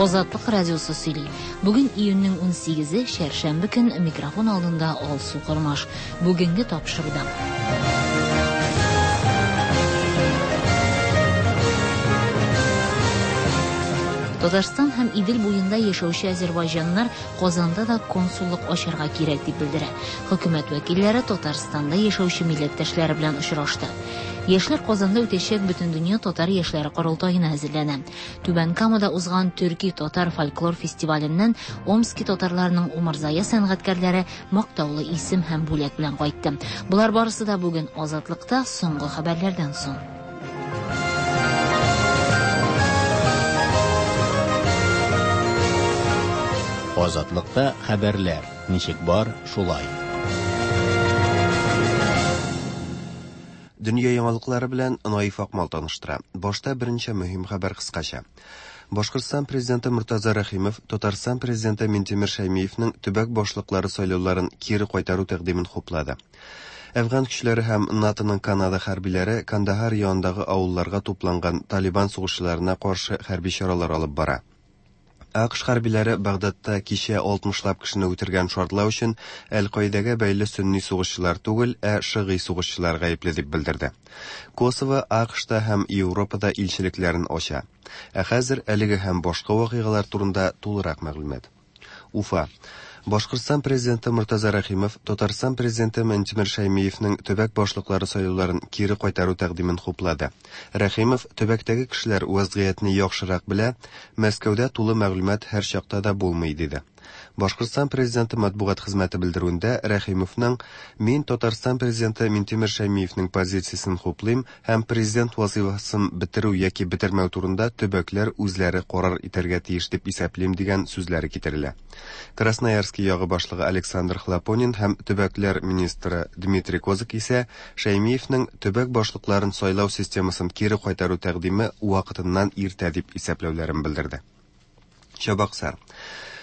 Азатлык радиосы сөйли. Бүген июньнең 18-е, чәршәмбе көн, микрофон алдында Алсу Кормаш. Бүгенге тапшыруда. Татарстан һәм Идел буенда яшәүче азербайҗаннар Казанда да консуллык ачарга кирәк дип белдерә. Хөкүмәт вәкилләре Татарстанда яшәүче милләттәшләре белән очрашты. Яшьләр Казанда үтәчәк Бөтендөнья татар яшьләре корылтаена әзерләнә. Түбән Камада узган төрки татар фольклор фестиваленнән Омски татарларының умырзая сәнгатькәрләре мактаулы исем һәм бүләк белән кайтты. Болар барысы да бүген Азатлыкта соңгы хәбәрләрдән соң. Азатлыкта хәбәрләр ничек бар, шулай. Дөнья яңалыклары белән Наиф Акмал таныштыра. Башта берничә мөһим хәбәр кыскача. Башкортстан президенты Мортаза Рәхимов Татарстан президенты Минтимер Шәймиевнең төбәк башлыклары сайлауларын кире кайтару тәкъдимен хуплады. Әфган көчләре һәм НАТОның Канада хәрбиләре Кандаһар янындагы авылларга тупланган Талибан сугышчыларына каршы хәрби чаралар алып бара. АКШ хәрбиләре Багдадта кичә 60лап кешене үтергән шартлау өчен Әл-Каидәгә бәйле сөнни сугышчылар түгел, ә шыгый сугышчылар гаепле дип белдерде. Косово АКШта һәм Европада илчелекләрен ача. Ә хәзер әлеге һәм башка вакыйгалар турында тулырак мәгълүмат. Уфа. Башкортстан президенты Мортаза Рәхимов Татарстан президенты Минтимер Шәймиевнең төбәк башлыклары сайлауларын кире кайтару тәкъдимен хуплады. Рәхимов төбәктәге кешеләр вазгыятьне яхшырак белә, Мәскәүдә тулы мәгълүмат һәрчакта да булмый, диде. Башкортстан президенты матбугат хезмәте белдерүендә Рәхимовның Мин Татарстан президенты Минтимер Шәймиевнең позициясен хуплыйм һәм президент вазыйфасын бетерү яки бетермәү турында төбәкләр үзләре карар итәргә тиеш дип исәплим дигән сүзләре китерелә. Красноярский ягы башлыгы Александр Хлопонин һәм төбәкләр министры Дмитрий Козак исә Шәймиевнең төбәк башлыкларын сайлау системасын кире кайтару тәкъдиме вакытыннан иртә дип исәпләүләрен белдерде. Чабаксар.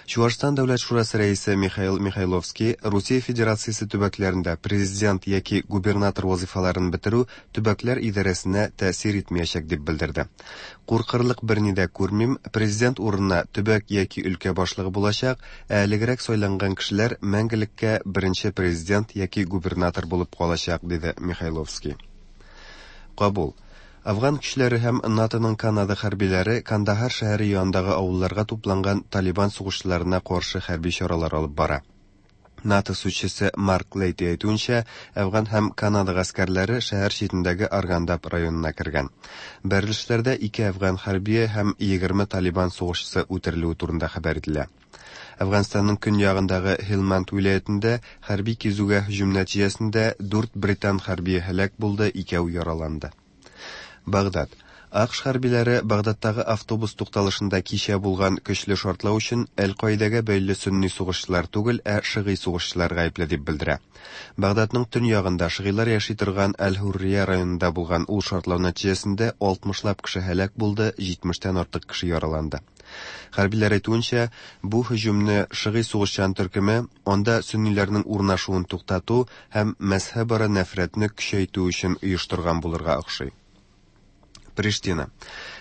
Чуашстан Дәүләт шурасы рәисе Михаил Михайловский Русия Федерациясе төбәкләрендә президент яки губернатор вазыйфаларын бетерү төбәкләр идарәсенә тәэсир итмәячәк дип белдерде. Куркырлык берни дә күрмим, президент урынына төбәк яки өлкә башлыгы булачак, ә элегрәк сайланган кешеләр мәңгелеккә беренче президент яки губернатор булып калачак, диде Михайловский. Кабул. Афган көчләре һәм НАТОның Канада хәрбиләре Кандаһар шәһәре янындагы авылларга тупланган Талибан сугышчыларына каршы хәрби чаралар алып бара. НАТО сүзчесе Марк Лейти әйтүенчә, Әфган һәм Канада гаскәрләре шәһәр читендәге Аргандаб районына кергән. Бәрелешләрдә ике әфган хәрбие һәм 20 Талибан сугышчысы үтерелүе турында хәбәр ителә. Әфганстанның көньягындагы Һилманд вилаятендә хәрби кизүгә һөҗүм нәтиҗәсендә дүрт британ хәрбие һәлак булды, икәү яраланды. Багдад. АКШ хәрбиләре Багдадтагы автобус тукталышында кичә булган көчле шартлау өчен Әл-Каидәгә бәйле сөнни сугышчылар түгел, ә шыгый сугышчылар гаепле дип белдерә. Багдадның төньягында шыгыйлар яши торган Әл-Һуррия районында булган ул шартлау нәтиҗәсендә 60лап кеше һәлак булды, 70тән артык кеше яраланды. Хәрбиләр әйтүенчә, бу һөҗүмне шыгый сугышчан төркеме анда сөнниләрнең урнашуын туктату һәм мәзһәбара нәфрәтне көчәйтү өчен оештырган булырга охшый. Приштина.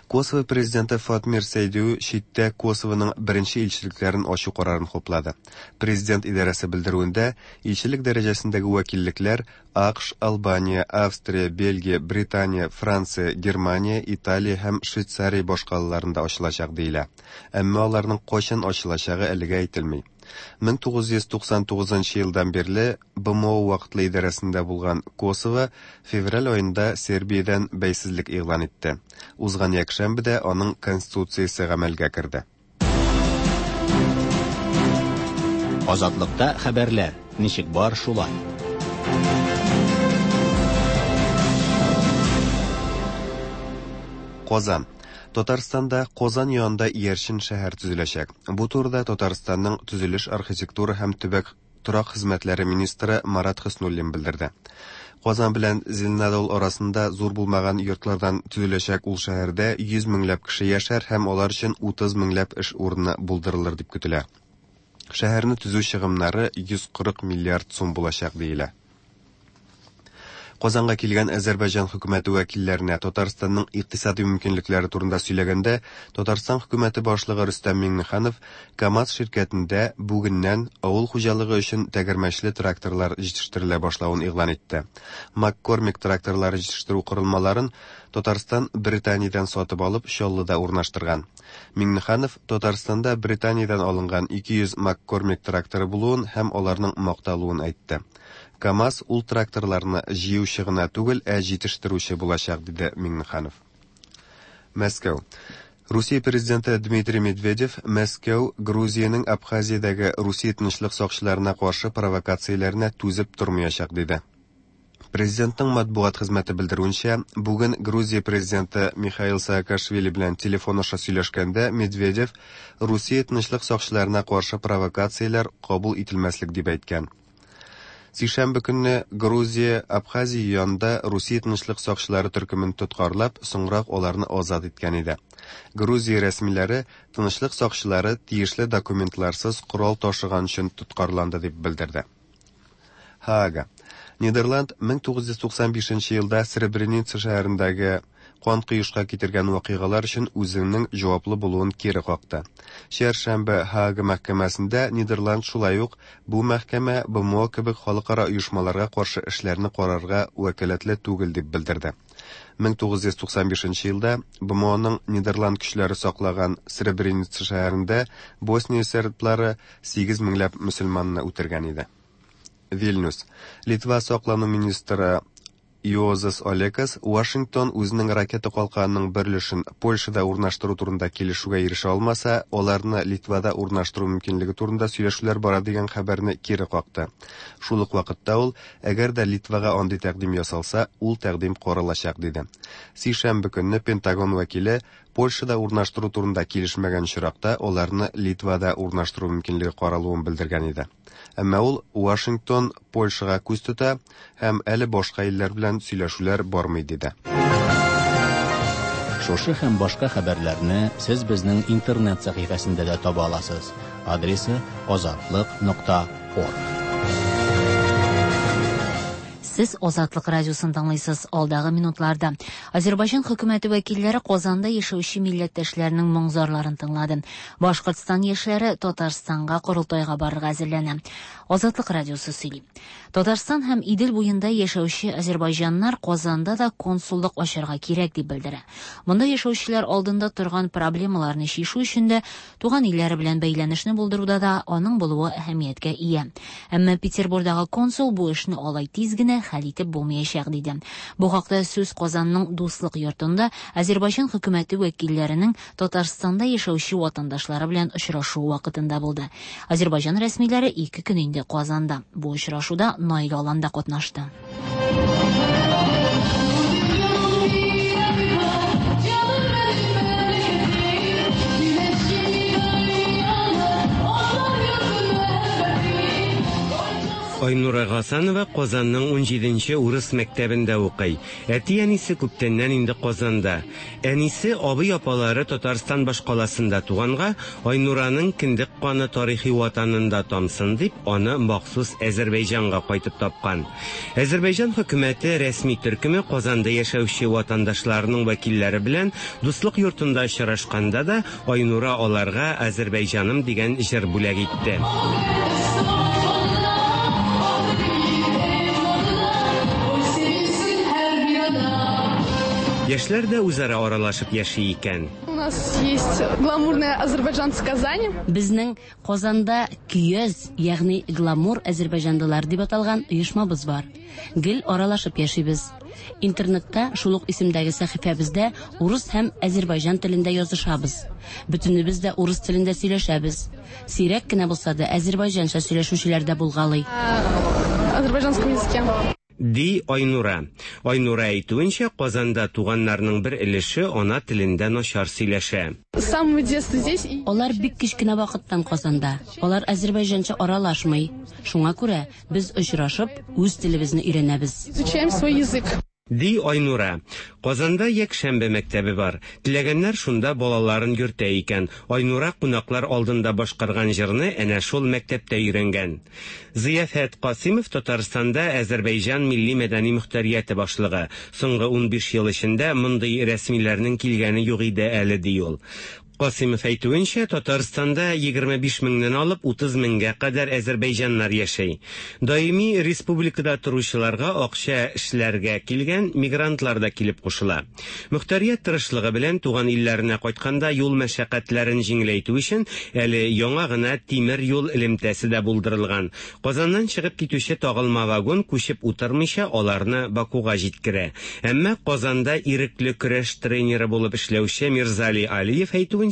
Косово президенты Фатмир Сейдю читтә Косовоның беренче илчелекләрен ачу карарын хуплады. Президент идарәсе белдерүендә, илчелек дәрәҗәсендәге вәкиллекләр АКШ, Албания, Австрия, Бельгия, Британия, Франция, Германия, Италия һәм Швейцария башкалаларында ачылачак диелә. Әмма аларның кайчан ачылачагы әлегә әйтелми. 1999 елдан бирле БМО вакытлы идарәсендә булган Косово февраль аенда Сербиядән бәйсезлек игълан итте. Узган якшәмбедә аның конституциясе гамәлгә керде. Азатлыкта хәбәрләр ничек бар, шулай. Казан. Татарстанда Казан янында иярчен шәһәр төзеләчәк. Бу турыда Татарстанның төзелеш, архитектура һәм төбәк торак хезмәтләре министры Марат Хөснуллин белдерде. Казан белән Зеленодол арасында зур булмаган йортлардан төзеләчәк ул шәһәрдә 100 меңләп кеше яшәр һәм алар өчен 30 меңләп эш урыны булдырылыр дип көтелә. Шәһәрне төзү чыгымнары 140 миллиард сум булачак диелә. Казанга килгән Азәрбайҗан хөкүмәте вәкилләренә Татарстанның икътисади мөмкинлекләре турында сөйләгәндә, Татарстан хөкүмәте башлыгы Рөстәм Миңнеханов КАМАЗ ширкәтендә бүгеннән авыл хуҗалыгы өчен тәгәрмәчле тракторлар җитештерелә башлавын игълан итте. МакКормик тракторлары җитештерү корылмаларын Татарстан Британиядән сатып алып Чаллыда урнаштырган. Миңнеханов Татарстанда Британиядән алынган 200 МакКормик тракторы булуын һәм аларның макталуын әйтте. КАМАЗ ул тракторларны җыючы гына түгел, ә җитештерүче булачак, диде Миңнеханов. Мәскәү. Русия президенты Дмитрий Медведев Мәскәү Грузиянең Абхазиядәге Русия тынычлык сакчыларына каршы провокацияләренә түзеп тормаячак, диде. Президентның матбугат хезмәте белдерүенчә, бүген Грузия президенты Михаил Саакашвили белән телефон аша сөйләшкәндә Медведев Русия тынычлык сакчыларына каршы провокацияләр кабул ителмәслек дип әйткән. Сишәмбе көнне Грузия Абхазия янында Русия тынычлык сакчылары төркемен тоткарлап, соңрак аларны азат иткән иде. Грузия рәсмиләре тынычлык сакчылары тиешле документларсыз корал ташыган өчен тоткарланды дип белдерде. Һаага. Нидерланд 1995 елда Сребреница шәһәрендәге кан коешка китергән вакыйгалар өчен үзенең җаваплы булуын кире какты. Чәршәмбе Һаага мәхкәмәсендә Нидерланд шулай ук бу мәхкәмә БМО кебек халыкара оешмаларга каршы эшләрне карарга вәкаләтле түгел дип белдерде. 1995 елда БМОның Нидерланд көчләре саклаган Сребреница шәһәрендә Босния серблары 8 меңләп мөселманны үтергән иде. Вильнюс. Литва саклану министры Йозас Олекас Вашингтон үзенең ракета калканының бер өлешен Польшада урнаштыру турында килешүгә ирешә алмаса, аларны Литвада урнаштыру мөмкинлеге турында сөйләшүләр бара дигән хәбәрне кире какты. Шул ук вакытта ул, әгәр дә Литвага андый тәкъдим ясалса, ул тәкъдим каралачак диде. Сишәмбе көнне Пентагон вәкиле Польшада урнаштыру турында килешмәгән очракта аларны Литвада урнаштыру мөмкинлеге каралуын белдергән иде. Әмма ул Вашингтон Польшага күз тота һәм әле башка илләр белән сөйләшүләр бармый диде. Шушы һәм башка хәбәрләрне сез безнең интернет сәхифәсендә дә таба аласыз. Адресы azatliq.org. Сез Азатлык радиосын тыңлыйсыз. Алдагы минутларда Азәрбайҗан хөкүмәте вәкилләре Казанда яшәүче милләттәшләренең моң-зарларын тыңлады. Башкортстан яшьләре Татарстанга корылтайга барырга әзерләнә. Азатлык радиосы сөйли. Татарстан һәм Идел буенда яшәүче азәрбайҗаннар Казанда да консуллык ачарга кирәк дип белдерә. Монда яшәүчеләр алдында торган проблемаларны чишү өчен дә, туган илләре белән бәйләнешне булдыруда да аның булуы әһәмияткә ия. Әмма Петербурдагы консул бу эшне алай тиз генә хәл итеп булмаячак диде. Бу хакта сүз Казанның Дуслык йортында Азәрбайҗан хөкүмәте вәкилләренең Татарстанда яшәүче ватандашлары белән очрашуы вакытында булды. Азәрбайҗан рәсмиләре 2 көн инде Казанда. Бу очрашуда Наил Алан да катнашты. Айнура Гасанова Казанның 17нче урыс мәктәбендә укый. Әти-әнисе күптәннән инде Казанда. Әнисе, абый-апалары Татарстан башкаласында туганга, Айнураның кендек каны тарихи ватанында тамсын дип, аны махсус Әзербәйҗанга кайтып тапкан. Әзербәйҗан хөкүмәте рәсми төркеме Казанда яшәүче ватандашларының вәкилләре белән Дуслык йортында очрашканда да Айнура аларга Әзербәйҗаным дигән җыр бүләк итте. Яшьләр дә үзара аралашып яши икән. У нас есть гламурные азербайджанцы Казани. Безнең Казанда көяз, ягъни гламур азербайҗанлылар дип аталган оешмабыз бар. Гел аралашып яшибез. Интернетта шул ук исемдәге сәхифәбездә урыс һәм азербайҗан телендә язышабыз. Бөтенебез дә урыс телендә сөйләшәбез. Сирәк кенә булса да азербайҗанча сөйләшүчеләр дә булгалый. Азербайджанском языке. Ди Айнура. Айнура әйтүенчә, Казанда туганнарның бер өлеше ана телендә начар сөйләшә. С самого детства здесь. и- Алар бик кечкенә вакыттан Казанда. Алар азербайҗанча аралашмый. Шуңа күрә без очрашып үз телебезне өйрәнәбез. Изучаем свой язык. Ди Айнура. Казанда якшәмбе мәктәбе бар. Теләгәннәр шунда балаларын йөртә икән. Айнура кунаклар алдында башкарган җырны әнә шул мәктәптә өйрәнгән. Зыяфәт Касыймов Татарстанда Әзербәйҗан милли-мәдәни мөхтәрияте башлыгы. Соңгы 15 ел эчендә мондый рәсмиләрнең килгәне юк иде әле, ди ул. Касыймов әйтүенчә, Татарстанда 25 меңнән алып 30 меңгә кадәр әзербәйҗаннар яши. Даими республикада торучыларга акча эшләргә килгән мигрантлар да килеп кушыла. Мөхтәрият тырышлыгы белән туган илләренә кайтканда юл мәшәкатьләрен җиңеләйтү өчен әле яңа гына тимер юл элемтәсе дә булдырылган. Казаннан чыгып китүче тагылма вагон күчеп утырмыйча аларны Бакуга җиткерә. Әмма Казанда ирекле көрәш тренеры булып эшләүче Мирзали Алиев әйтүенчә,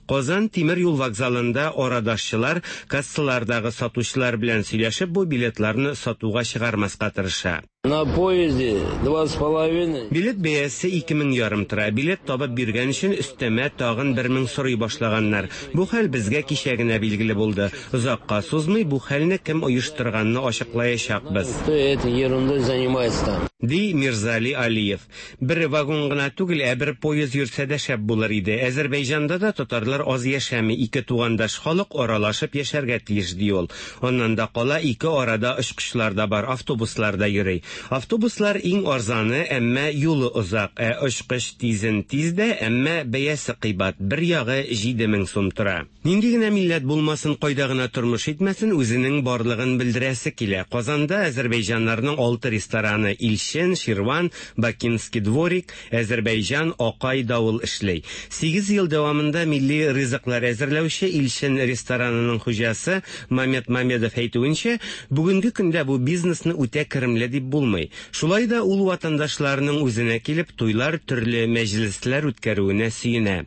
Казан тимер юл вокзалында арадашчылар кассалардагы сатучылар белән сөйләшеп бу билетларны сатуга чыгармаска тырыша. На поезде 2,5. Билет бәясе 2500 тора. Билет табып биргән өчен өстәмә тагын 1000 сорый башлаганнар. Бу хәл безгә кичә генә билгеле булды. Озакка сузмый бу хәлне кем оештырганны ачыклаячакбыз. Кто этой ерундой занимается там? Ди Мирзали Алиев. Бер вагон гына түгел, ә бер поезд йөрсә дә шәп булыр иде. Әзербәйҗанда да татарлар аз яшәми, ике тугандаш халык аралашып яшәргә тиеш, ди ул. Аннан да кала ике арада очкычлар да бар, автобуслар да йөри. Автобуслар иң арзаны, әмма юлы озак, ә очкыч тизен тиз дә, әмма бәясе кыйбат, бер ягы 7000 сум тора. Нинди генә милләт булмасын, кайда гына тормыш итмәсен, үзенең барлыгын белдерәсе килә. Казанда әзербәйҗаннарның 6 рестораны Илчен, Ширван, Бакинский дворик, Әзербәйҗан, Акай, Давыл эшли. 8 ел дәвамында милли ризыклар әзерләүче Илчен ресторанының хуҗасы Мамед Мамедов әйтүенчә, бүгенге көндә бу бизнесны үтә керемле дип булмый. Шулай да ул ватандашларының үзенә килеп туйлар, төрле мәҗлесләр үткәрүенә сөенә.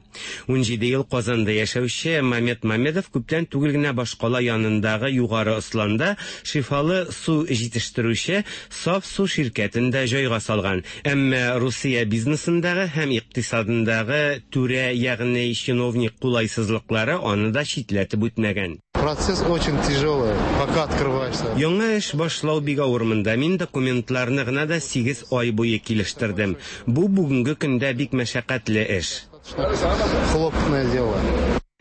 17 ел Казанда яшәүче Мамед Мамедов күптән түгел генә башкала янындагы Югары Осланда шифалы су җитештерүче Саф су ширкәтен дә җайга салган. Әмма Русия бизнесындагы һәм икътисадындагы түрә, ягъни чиновник кулайсызлыклары аны да читләтеп үтмәгән. Процесс очень тяжелый, пока открываешься. Яңа эш башлау бик авыр монда. Мин документларны гына да 8 ай буе килештердем. Бу бүгенге көндә бик мәшәкатьле эш. Хлопотное дело.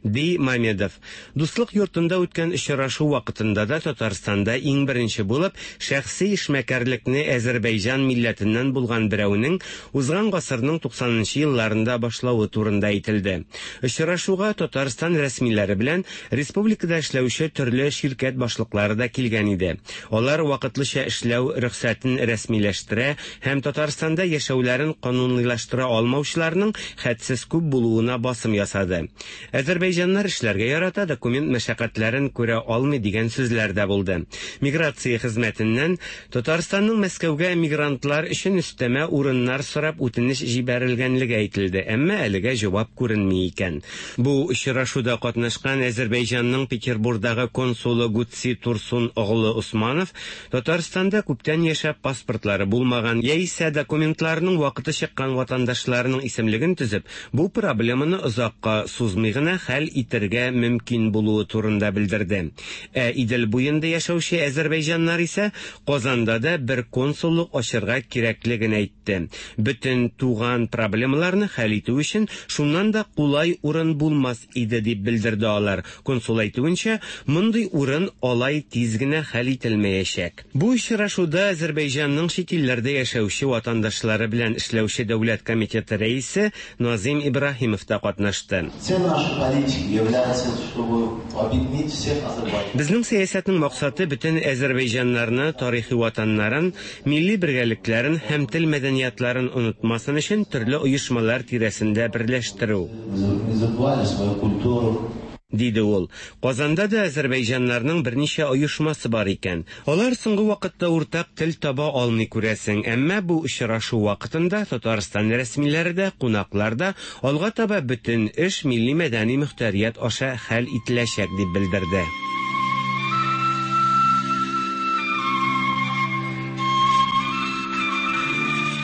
Ди Мамедов. Дуслык йортында үткән очрашу вакытында да Татарстанда иң беренче булып шәхси эшмәкәрлекне Әзербәйҗан милләтеннән булган берәүнең узган гасырның 90нчы елларында башлавы турында әйтелде. Очрашуга Татарстан рәсмиләре белән республикада эшләүче төрле ширкәт башлыклары да килгән иде. Алар вакытлыча эшләү рөхсәтен рәсмиләштерә һәм Татарстанда яшәүләрен канунилаштыра алмаучыларның хәтсез күп булуына басым ясады. Әзербәйҗаннар эшләргә ярата, документ мәшәкатьләрен күрә алмый дигән сүзләр дә булды. Миграция хезмәтеннән Татарстанның Мәскәүгә мигрантлар өчен өстәмә урыннар сорап үтенеч җибәрелгәнлеге әйтелде, әмма әлегә җавап күренми икән. Бу очрашуда катнашкан Әзербәйҗанның Петербургдагы консулы Гутси Турсун оглы Усманов Татарстанда күптән яшәп паспортлары булмаган яисә документларының вакыты чыккан ватандашларының исемлеген төзеп, бу проблеманы озакка сузмый гына хәл итәргә мөмкин булуы турында белдерде. Ә Идел буенда яшәүче әзербәйҗаннар исә Казанда да бер консуллык ачырга кирәклеген әйтте. Бөтен туган проблемаларны хәл итү өчен шуннан да кулай урын булмас иде дип белдерде алар. Консул әйтүенчә, мондый урын алай тиз генә хәл ителмәячәк. Бу очрашуда Әзербәйҗанның чит илләрдә яшәүче ватандашлары белән эшләүче дәүләт комитеты рәисе Назим Ибраһимов та катнашты. Цель нашей политики является, чтобы объединить всех азербайджанцев. Безнең сәясәтнең максаты бөтен әзербәйҗаннарны тарихи ватаннарын, милли бергәлекләрен һәм тел мәдәниятларын онытмасын өчен төрле оешмалар тирәсендә берләштерү. Не забывали свою культуру. Диде ул. Казанда да әзербәйҗаннарның берничә оешмасы бар икән. Алар соңгы вакытта уртак тел таба алмый күрәсең, әмма бу очрашу вакытында Татарстан рәсмиләре дә, кунаклар да алга таба бөтен эш милли мәдәни мөхтәрият аша хәл ителәчәк дип белдерде.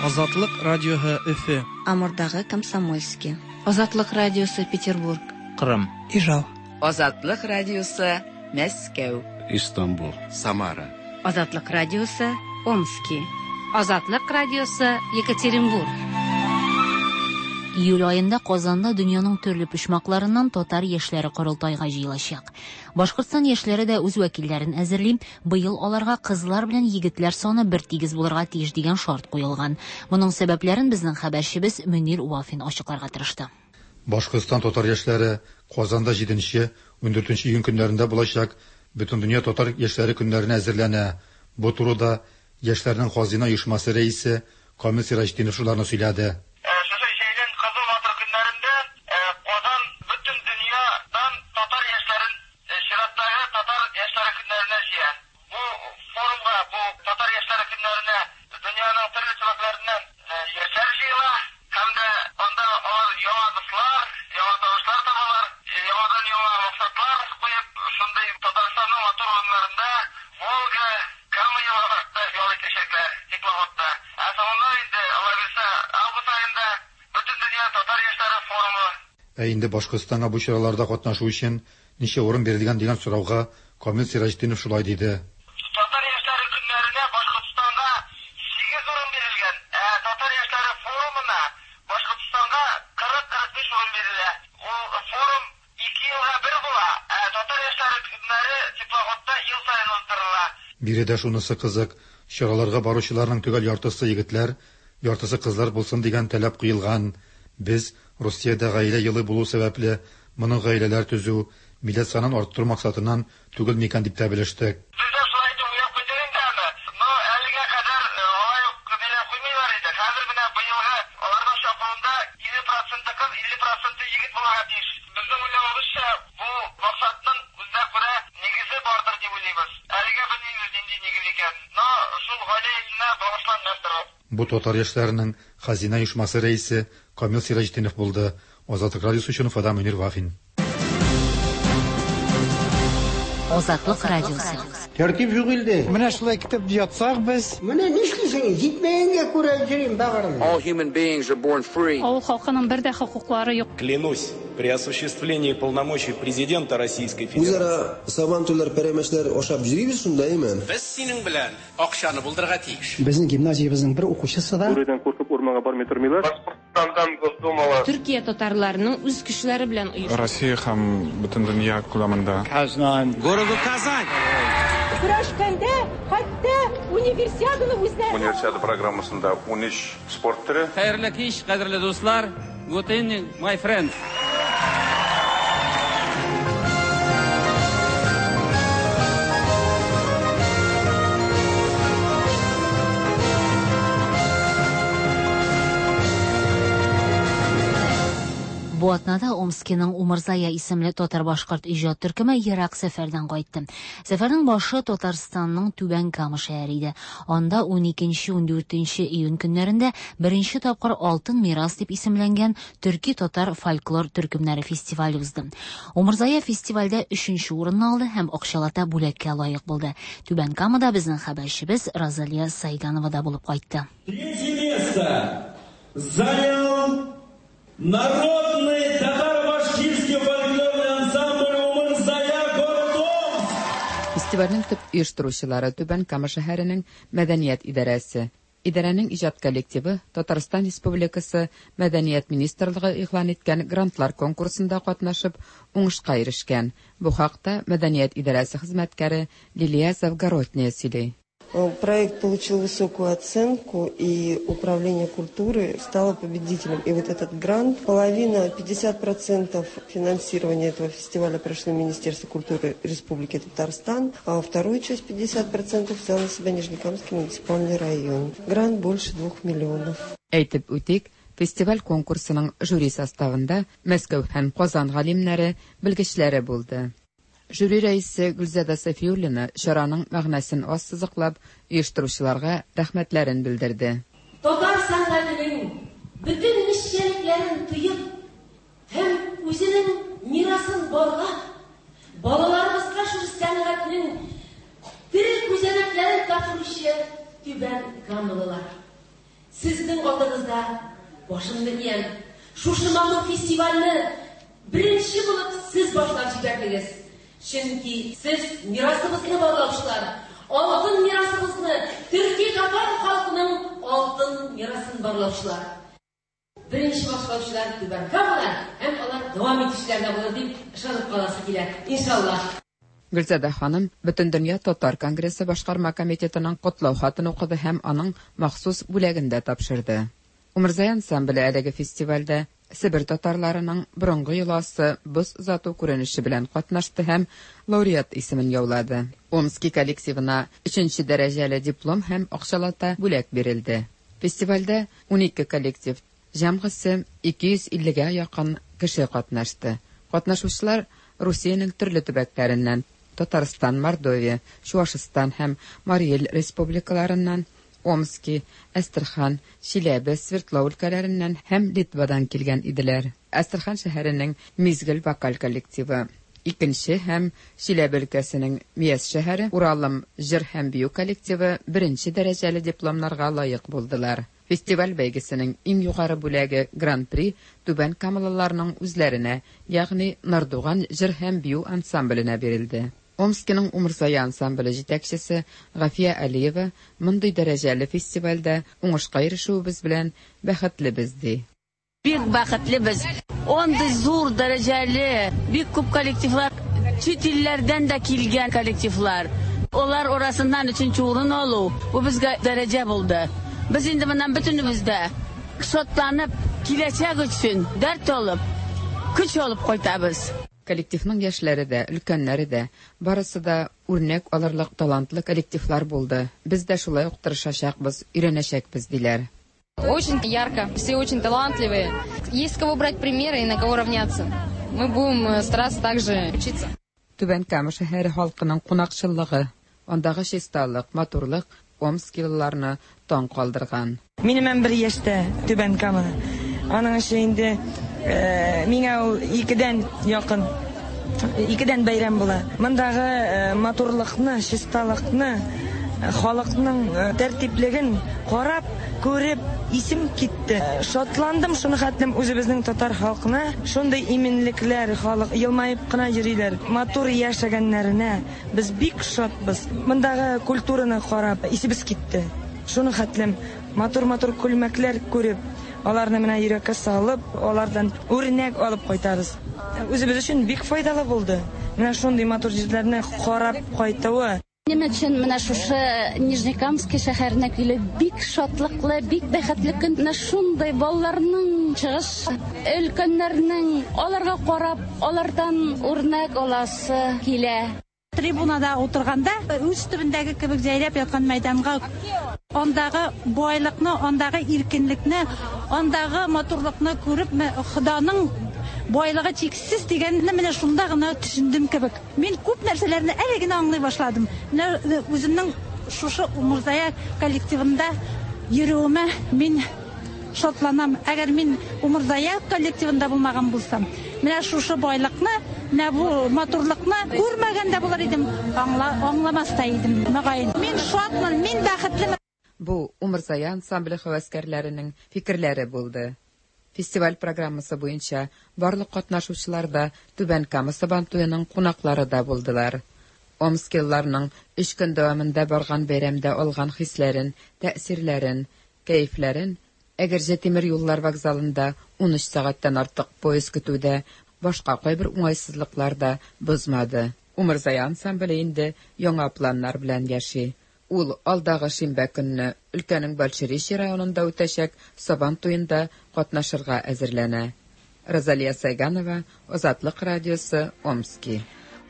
Азатлык радиоһы Өфе. Амурдагы Комсомольский. Азатлык радиосы Петербург. Кырым. Ижау. Азатлык радиосы Мәскәү. Истанбул. Самара. Азатлык радиосы Омски. Азатлык радиосы, Екатеринбург. Июль аенда Казанда дөньяның төрле почмакларыннан татар яшьләре корылтайга җыелачак. Башкортстан яшьләре дә үз вәкилләрен әзерли. Быел аларга кызлар белән егетләр саны бертигез булырга тиеш дигән шарт куелган. Моның сәбәпләрен безнең хәбәрчебез Мөнир Вафин ачыкларга тырышты. Башкортстан татар яшьләре Казанда 7-14 июнь көннәрендә булачак Бөтендөнья татар яшьләре көннәренә әзерләнә. Бу турыда яшьләрнең Хазина оешмасы рәисе Камил Сираҗетдинов шуларны сөйләде. Шушы җәйнең кызу матур көннәрендә Казан бөтен дөньядан татар яшьләрен чираттагы татар яшьләре көннәренә җыя. Бу форумга, бу татар яшьләре көннәренә дөньяның төрле төбәкләреннән яшьләр җыела һәм дә анда алар яңа дуслар, яңа танышлар табалар, яңадан-яңа максатлар куеп, шундый Татарстанның матур урыннарында Волга, Кама елгаларында ял итәчәкләр теплоходта. Ә соңыннан инде, Алла бирсә, август аенда Бөтендөнья татар яшьләре форумы. Ә инде Башкортстанга бу чараларда катнашу өчен ничә урын бирелгән дигән сорауга Камил Сираҗетдинов шулай диде. Татар яшьләре көннәренә Башкортстанга 8 урын бирелгән, ә Татар яшьләре форумына Башкортстанга 40-45 урын бирелә. Ул форум 2 елга бер була, ә Татар яшьләре көннәре теплоходта ел саен уздырыла. Биредә шунысы кызык, чараларга баручыларның төгәл яртысы егетләр, яртысы кызлар булсын дигән таләп куелган. Без Русиядә гаилә елы булу сәбәпле, моның гаиләләр төзү, милләт санын арттыру максатыннан түгел микән дип тә белештек. Бездә шулай итеп уйлап куйдык инде аны. Но әлегә кадәр алай ук ниләп куймыйлар иде. Хәзер менә быелгы аларның чакыруында 50 проценты кыз, 50 проценты егет булырга тиеш. Безнең уйлавыбызча, бу максатның үзенә күрә нигезе бардыр дип уйлыйбыз. Әлегә белмибез нинди нигез икән. Но шул гаилә елына багышлангандыр ул. Бу татар яшьләренең Хазина оешмасы рәисе Камил Сираҗетдинов булды. Азатлык радиосы өчен Уфадан Мөнир Вафин. Азатлык радиосы. Тәртип юк илдә. Менә шулай көтеп ятсак без. Менә нишлисең, җитмәгәнгә күрә йөрим бәгырем. All human beings are born free. Авыл халкының бер дә хокуклары юк. Клянусь при осуществлении полномочий президента Российской Федерации. Үзара сабантуйлар, пәрәмәчләр ашап йөрибез шунда, әйме? Без синең белән акчаны булдырырга тиеш. Безнең гимназиябезнең бер укучысы да. Бүредән куркып урманга бармый тормыйлар. Башкортстандан Госдумала. Төркия татарларының үз көчләре белән оешкан. Россия һәм бөтен дөнья күләмендә. Казан. Городу Казань. Көрәшкәндә хәтта универсиаданы үзләре. Универсиада программасында 13 спорт төре. Хәерле кич, кадерле дуслар. Good evening, my friends. Бу атнада Омскиның Умырзая исемле татар-башкорт иҗат төркеме ерак сәфәрдән кайтты. Сәфәрнең башы Татарстанның Түбән Кама шәһәре иде. Анда 12-14 июнь көннәрендә беренче тапкыр Алтын мирас дип исемләнгән төрки-татар фольклор төркемнәре фестивале узды. Умырзая фестивальдә 3нче урынны алды һәм акчалата бүләккә лаек булды. Түбән Камада безнең хәбәрчебез Розалия Сайганова да булып кайтты. Третье место занял народный татаро-башкирский фольклорный ансамбль «Умырзая», город Омск. Фестивальнең төп оештыручылары Түбән Кама шәһәренең мәдәният идарәсе. Идарәнең иҗат коллективы Татарстан Республикасы Мәдәният министрлыгы игълан иткән грантлар конкурсында катнашып, уңышка ирешкән. Бу хакта мәдәният идарәсе хезмәткәре Лилия Завгородняя сөйли. Проект получил высокую оценку, и Управление культуры стало победителем. И вот этот грант, половина, 50% финансирования этого фестиваля прошло Министерство культуры Республики Татарстан, а вторую часть, 50%, взял на себя Нижнекамский муниципальный район. Грант больше 2 миллионов. Әйтеп үтик, фестиваль конкурсының жюри составында Мәскәү һәм Казан галимнәре, белгечләре булды. Жюри рәисе Гөлзада Сафиуллина чараның мәгънәсен ассызыклап, оештыручыларга рәхмәтләрен белдерде. Татар сәнгатенең бөтен нечкәлекләрен тоеп һәм үзенең мирасын барлап, балаларыбызга шул сәнгатьнең тере күзәнәкләрен тапшыручы Түбән Камалылар. Сезнең алдыгызда башымны иям. Шушы матур фестивальне беренче булып сез башлап җибәрдегез. Чөнки сез мирасыбызны барлаучылар, Алтын мирасыбызны, төрки-татар халкының алтын мирасын барлаучылар. Беренче башлаучылар Түбән Камада һәм алар дәвам итүчеләр дә булыр дип ышанып каласы килә, иншаллаһ. Гөлзадә ханым Бөтендөнья татар конгрессы башкарма комитетының котлау хатын укыды һәм аның махсус бүләген дә тапшырды. Умырзая ансамбле әлеге фестивальдә Себер татарларының борынгы йоласы боз озату күренеше белән катнашты һәм лауреат исемен яулады. Омски коллективына өченче дәрәҗәле диплом һәм акчалата бүләк бирелде. Фестивальдә 12 коллектив, җәмгысе 250 гә якын кеше катнашты. Катнашучылар Русиянең төрле төбәкләреннән, Татарстан, Мордовия, Чуашстан һәм Марий Эл республикаларыннан, Омски, Әстерхан, Чиләбе, Свердлау өлкәләреннән һәм Литвадан килгән иделәр. Әстерхан шәһәренең Мизгел вокаль коллективы, икенче һәм Чиләбе өлкәсенең Миәс шәһәре Уралым җыр һәм бию коллективы беренче дәрәҗәле дипломнарга лаек булдылар. Фестиваль бәйгесенең иң югары бүләге Гран-при Түбән Камалыларның үзләренә, ягъни Нардуган җыр һәм бию ансамбленә бирелде. Омскиның Умырзая ансамбле җитәкчесе Гафия Алиева мондый дәрәҗәле фестивальдә уңышка ирешүебез белән бәхетлебез, ди. Бик бәхетлебез. Андый зур дәрәҗәле, бик күп коллективлар, чит илләрдән дә килгән коллективлар. Алар арасыннан өченче урын алу, бу безгә дәрәҗә булды. Без инде моннан бөтенебез дә шатланып, киләчәк өчен дәрт алып, көч алып кайтабыз. Коллективның яшьләре дә, өлкәннәре дә, барысы да үрнәк алырлык талантлы коллективлар булды. Без дә шулай ук тырышачакбыз, өйрәнәчәкбез, диләр. Очень ярко, все очень талантливые. Есть с кого брать примеры и на кого равняться. Мы будем э, стараться также учиться. Түбән Кама шәһәре халкының кунакчыллыгы, андагы чисталык, матурлык омскилыларны таң калдырган. Минем 11 яшьтә Түбән Кама. Аның өчен инде э, миңа ул икедән якын, икедән бәйрәм була. Мондагы э, матурлыкны, чисталыкны, э, халыкның тәртиплеген карап, күреп, исем китте. Шатландым шуны хәтлем үзебезнең татар халкына шундый иминлекләр, халык елмаеп кына йөриләр. Матур яшәгәннәренә без бик шатбыз. Мондагы культураны карап, исебез китте. Шуны хәтлем матур-матур күлмәкләр күреп, аларны менә йөрәккә салып, алардан үрнәк алып кайтабыз. Үзебез өчен бик файдалы булды. Менә шундый матур җирләрне карап кайтуы. Минем өчен менә шушы Нижнекамский шәһәренә килү бик шатлыклы, бик бәхетле көн. Менә шундый балаларның чыгыш, өлкәннәрнең аларга карап, алардан үрнәк аласы килә. Трибунада утырганда үз төбендәге кебек җәйрәп яткан мәйданга андагы байлыкны, андагы иркенлекне, андагы матурлыкны күреп, Ходаның байлыгы чиксез дигәнне менә шунда гына төшендем кебек. Мин күп нәрсәләрне әле генә аңлый башладым. Менә э, үземнең шушы Умырзая коллективында йөрүемә мин шатланам. Әгәр мин Умырзая коллективында булмаган булсам, менә шушы байлыкны, менә бу матурлыкны күрмәгән дә булыр идем, аңла, аңламас та идем, мөгаен. Мин шатмын, мин бәхетлемен. Бу Умырзая ансамбле һәвәскәрләренең фикерләре булды. Фестиваль программасы буенча барлык катнашучылар да Түбән Кама Сабантуеның кунаклары да булдылар. Омскилыларның өч көн дәвамында барган бәйрәмдә алган хисләрен, тәэсирләрен, кәефләрен Әгерҗе тимер юллар вокзалында 13 сәгатьтән артык поезд көтү дә, башка кайбер уңайсызлыклар да бозмады. Умырзая ансамбле инде яңа планнар белән яши. Ул алдагы шимбә көнне өлкәнең Большеречье районында үтәчәк Сабан туенда катнашырга әзерләнә. Розалия Сайганова, Азатлык радиосы, Омски.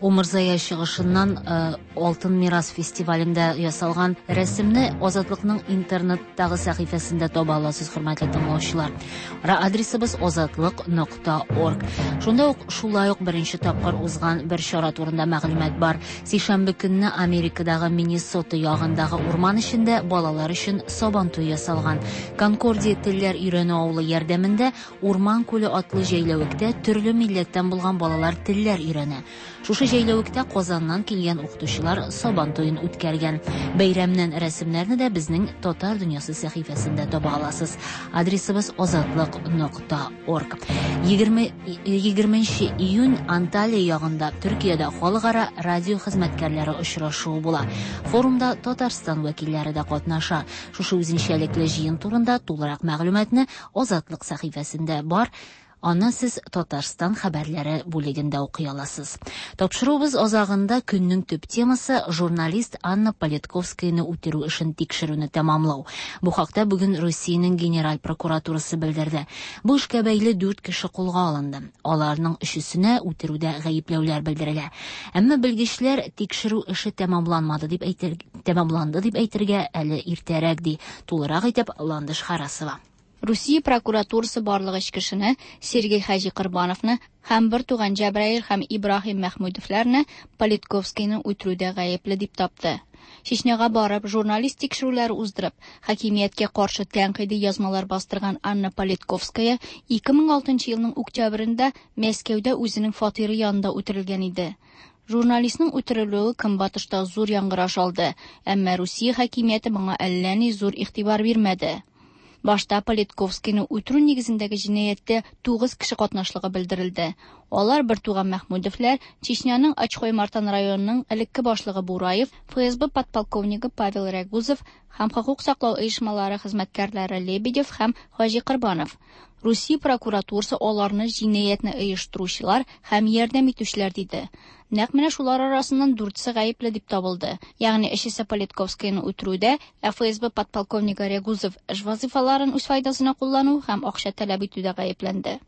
Умырзая чыгышыннан э, Алтын мирас фестивалендә ясалган рәсемне Азатлыкның интернеттагы сәхифәсендә таба аласыз, хөрмәтле тыңлаучылар. Адресыбыз азатлык.орг. Шунда ук шулай ук беренче тапкыр узган бер чара турында мәгълүмат бар. Сишәмбе көнне Америкадагы Миннесота ягындагы урман эчендә балалар өчен Сабан туе ясалган. Конкордия телләр өйрәнү авылы ярдәмендә Урман күле атлы җәйләвектә төрле милләттән булган балалар телләр өйрәнә. Шушы Җәйләвектә Казаннан килгән укытучылар Сабан туен үткәргән. Бәйрәмнән рәсемнәрне дә безнең Татар дөньясы сәхифәсендә таба аласыз. Адресыбыз азатлык нокта орг. 20 20 июнь Анталия ягында Төркиядә халыкара радио хезмәткәрләре очрашуы була. Форумда Татарстан вәкилләре дә катнаша. Шушы үзенчәлекле җыен турында тулырак мәгълүматны Азатлык сәхифәсендә бар. Аны сез Татарстан хәбәрләре бүлегендә укый аласыз. Тапшыруыбыз азагында көннең төп темасы журналист Анна Политковскаяны үтерү эшен тикшерүне тәмамлау. Бу хакта бүген Русиянең Генераль прокуратурасы белдерде. Бу эшкә бәйле дүрт кеше кулга алынды. Аларның өчесенә үтерүдә гаепләүләр белдерелә. Әмма белгечләр тикшерү эше тәмамланмады дип әйтер, тәмамланды дип әйтергә әле иртәрәк ди. Тулырак итеп Ландыш Харасова. Русия прокуратурасы барлык өч кешене, Сергей Хаҗи Корбановны һәм бертуган Җәбраил һәм Ибраһим Мәхмүдовларны Политковскийны үтерүдә гаепле дип тапты. Чечняга барып, журналист тикшерүләре уздырып, хакимияткә каршы тәнкыйди язмалар бастырган Анна Политковская 2006 елның октябрендә Мәскәүдә үзенең фатиры янында үтерелгән иде. Журналистның үтерелүе Көнбатышта зур яңгыраш алды, әмма Русия хакимияте моңа әллә ни зур игътибар бирмәде. Башта Политковскийны үтерү нигезендәге җинаятьтә 9 кеше катнашлыгы белдерелде. Алар бертуган Мәхмүдовлар, Чечняның Ачхой-Мартан районының элекке башлыгы Бураев, ФСБ подполковнигы Павел Рягузов һәм хокук саклау оешмалары хезмәткәрләре Лебедев һәм Хаҗи Корбанов. Русия прокуратурасы аларны җинаятьне оештыручылар һәм ярдәм итүчеләр диде. Нәкъ менә шулар арасыннан дүртесе гаепле дип табылды. Ягъни өчесе Политковскийны үтерүдә, ә ФСБ подполковнигы Рягузов эш вазыйфаларын үз файдасына куллану һәм акча таләп итүдә гаепләнде.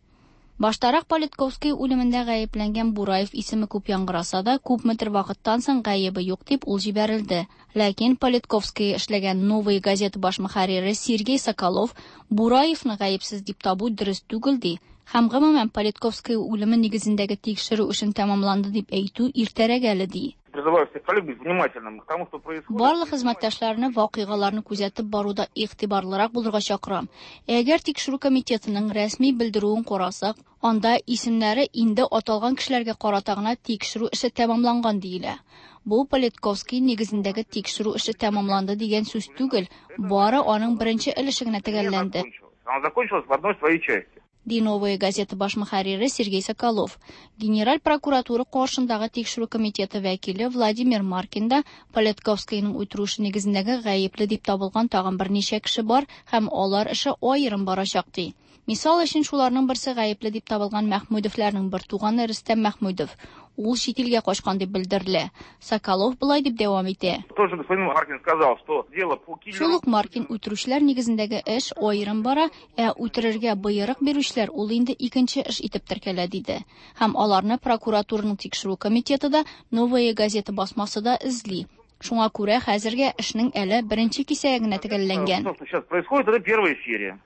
Баштарак Политковский үлемендә гаепләнгән Бураев исеме күп яңгыраса да, күпмедер вакыттан соң гаебе юк дип ул җибәрелде. Ләкин Политковский эшләгән Новая газета баш мөхәррире Сергей Соколов Бураевны гаепсез дип табу дөрес түгел ди. Һәм гомумән Политковский үлеме нигезендәге тикшерү эшен тәмамланды дип әйтү иртәрәк әле ди. Призываю всех коллег быть внимательным к тому, что происходит. Барлык хезмәттәшләрне вакыйгаларны күзәтеп баруда игътибарлырак булырга чакырам. Әгәр тикшерү комитетының рәсми белдерүен карасак, анда исемнәре инде аталган кешеләргә карата гына тикшерү эше тәмамланган диелә. Бу Политковский нигезендәге тикшерү эше тәмамланды дигән сүз түгел, бары аның беренче өлеше генә төгәлләнде. Она закончилась в одной своей части. Ди Новая газета баш мөхәррире Сергей Соколов. Генераль прокуратура каршындагы тикшерү комитеты вәкиле Владимир Маркин да Политковскийның үтерү эше нигезендәге гаепле дип табылган тагын берничә кеше бар һәм алар эше аерым барачак ди. Мисал өчен шуларның берсе гаепле дип табылган Мәхмүдовларның бер туганы Рөстәм Мәхмүдов. Ул чит илгә качкан дип белдерелә. Соколов болай дип дәвам итә. Тоже господин Маркин сказал, что дело по киллеру... Шул ук Маркин үтерүчеләр нигезендәге эш аерым бара, ә үтерергә боерык бирүчеләр ул инде икенче эш итеп теркәлә диде. Һәм аларны прокуратураның тикшерү комитеты да, Новая газета басмасы да эзли. Шуңа күрә хәзергә эшнең әле беренче кисәге генә төгәлләнгән. То, что сейчас происходит, это первая серия.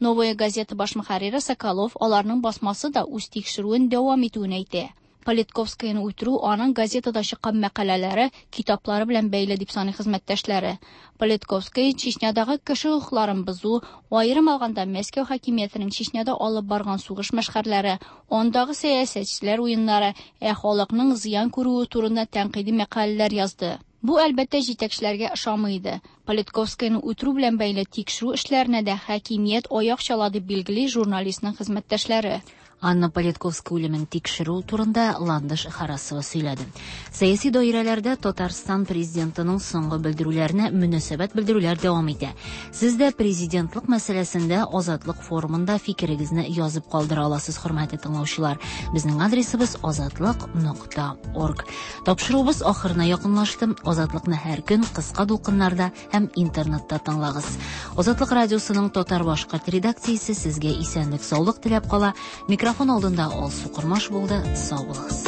Новая газета баш мөхәррире Соколов аларның басмасы да үз тикшерүен дәвам итүен әйтә. Политковскийны үтерү аның газетада чыккан мәкаләләре, китаплары белән бәйле дип саный хезмәттәшләре. Политковский Чечнядагы кеше хокукларын бозу, аерым алганда Мәскәү хакимиятенең Чечняда алып барган сугыш мәшһәрләре, андагы сәясәтчеләр уеннары, ә халыкның зыян күрүе турында тәнкыйди мәкаләләр язды. Бу әлбәттә җитәкчеләргә ошамый иде. Политковскийны үтерү белән бәйле тикшерү эшләренә дә хакимият аяк чала дип билгели журналистның хезмәттәшләре. Анна Политковская үлемен тикшерү турында Ландыш Харасова сөйләде. Сәяси даирәләрдә Татарстан президентының соңгы белдерүләренә мөнәсәбәт белдерүләр дәвам итә. Сез дә президентлык мәсьәләсендә Азатлык форумында фикерегезне язып калдыра аласыз, хөрмәтле тыңлаучылар. Безнең адресыбыз азатлык.орг. Тапшыруыбыз ахырына якынлашты. Азатлыкны һәр көн кыска дулкыннарда һәм интернетта тыңлагыз. Азатлык радиосының татар башкорт редакциясе сезгә исәнлек, саулык теләп кала. Микрофон алдында Алсу Кормаш булды. Сау булыгыз.